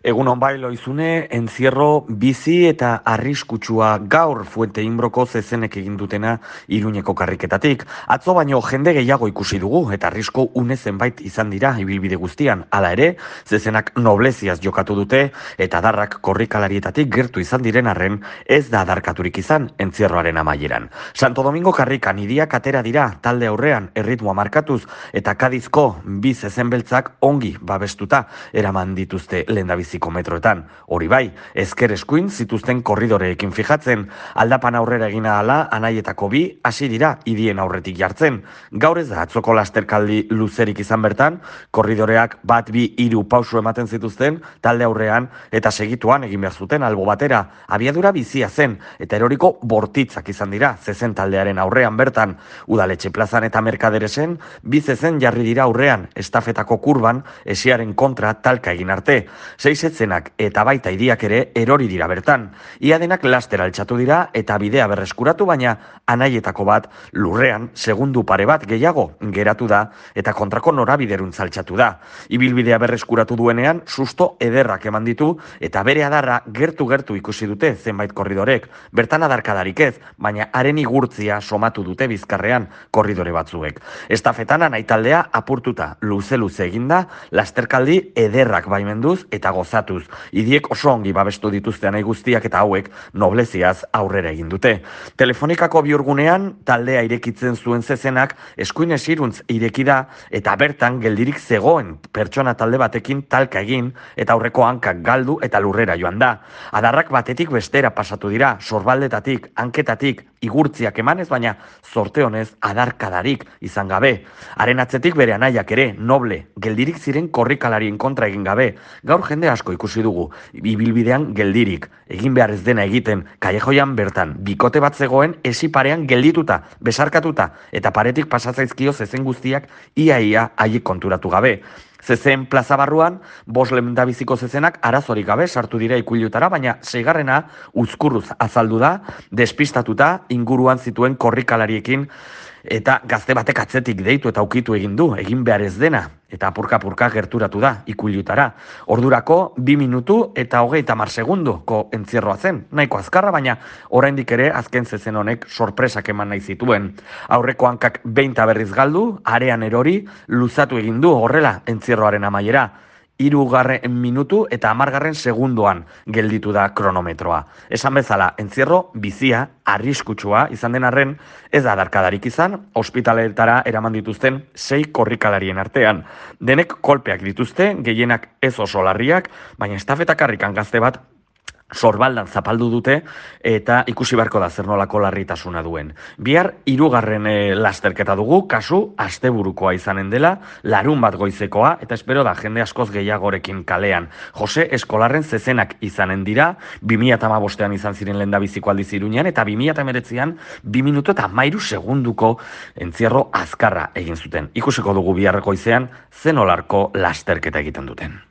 Egun bai loizune, encierro bizi eta arriskutsua gaur Fuente Imbroko zezenek egin dutena Iruñeko karriketatik. Atzo baino jende gehiago ikusi dugu eta arrisko une zenbait izan dira ibilbide guztian. Hala ere, zezenak nobleziaz jokatu dute eta adarrak korrikalarietatik gertu izan diren arren ez da adarkaturik izan entzierroaren amaieran. Santo Domingo karrikan idiak atera dira talde aurrean erritmoa markatuz eta Kadizko bi zezen beltzak ongi babestuta eraman dituzte lehendabiziko metroetan. Hori bai, ezker eskuin zituzten korridoreekin fijatzen, aldapan aurrera egina ala, anaietako bi hasi dira idien aurretik jartzen. Gaur ez da atzoko lasterkaldi luzerik izan bertan, korridoreak bat bi hiru pausu ematen zituzten, talde aurrean eta segituan egin behar zuten albo batera. Abiadura bizia zen eta eroriko bortitzak izan dira zezen taldearen aurrean bertan. Udaletxe plazan eta merkaderesen, bi zezen jarri dira aurrean, estafetako kurban esiaren kontra talka egin arte. Zenak eta baita idiak ere erori dira bertan. Ia denak laster altxatu dira eta bidea berreskuratu, baina anaietako bat lurrean segundu pare bat gehiago geratu da eta kontrako norabiderun altxatu da. Ibilbidea berreskuratu duenean susto ederrak eman ditu eta bere adarra gertu ikusi dute zenbait korridorek. Bertan adarkadarik ez, baina haren igurtzia somatu dute bizkarrean korridore batzuek. Estafetan anaitaldea apurtuta luze eginda, lasterkaldi ederrak baimenduz eta gozatuz. Idiek oso ongi babestu dituzte anai guztiak eta hauek nobleziaz aurrera egin dute. Telefonikako bihurgunean taldea irekitzen zuen zezenak eskuin esiruntz irekida eta bertan geldirik zegoen pertsona talde batekin talka egin eta aurreko hankak galdu eta lurrera joan da. Adarrak batetik bestera pasatu dira, sorbaldetatik, hanketatik, igurtziak emanez, baina zorte honez adarkadarik izan gabe. Haren atzetik bere anaiak ere, noble, geldirik ziren korrikalarien kontra egin gabe. Gaur jende asko ikusi dugu, ibilbidean geldirik, egin behar ez dena egiten, kailejoian bertan, bikote bat zegoen esi parean geldituta, besarkatuta, eta paretik pasatzaizkio zezen guztiak ia haiek konturatu gabe. Zezen plaza barruan, bost lehendabiziko zezenak arazorik gabe sartu dira ikuilutara, baina seigarrena uzkurruz azaldu da, despistatuta inguruan zituen korrikalariekin eta gazte batek atzetik deitu eta ukitu egin du, egin behar ez dena, eta apurka gerturatu da ikuilutara. Ordurako 2 minutu eta 30 segunduko entzierroa zen, nahiko azkarra, baina oraindik ere azken zezen honek sorpresak eman nahi zituen. Aurreko hankak 20 berriz galdu, arean erori, luzatu egin du horrela entzierroaren amaiera. 3 minutu eta 10 segunduan gelditu da kronometroa. Esan bezala, entzierro bizia, arriskutsua izan den arren, ez da adarkadarik izan, ospitaletara eraman dituzten 6 korrikalarien artean. Denek kolpeak dituzte, gehienak ez oso larriak, baina estafetakarrikan gazte bat sorbaldan zapaldu dute eta ikusi beharko da zer nolako larritasuna duen. Bihar 3. Lasterketa dugu, kasu asteburukoa izanen dela, larun bat goizekoa, eta espero da jende askoz gehiagorekin kalean. Jose Eskolarren zezenak izanen dira, 2015an izan ziren lehendabiziko aldiz Iruñean, eta 2019an 2 minutu eta 13 segunduko entzierro azkarra egin zuten. Ikusiko dugu bihar goizean zen olarko lasterketa egiten duten.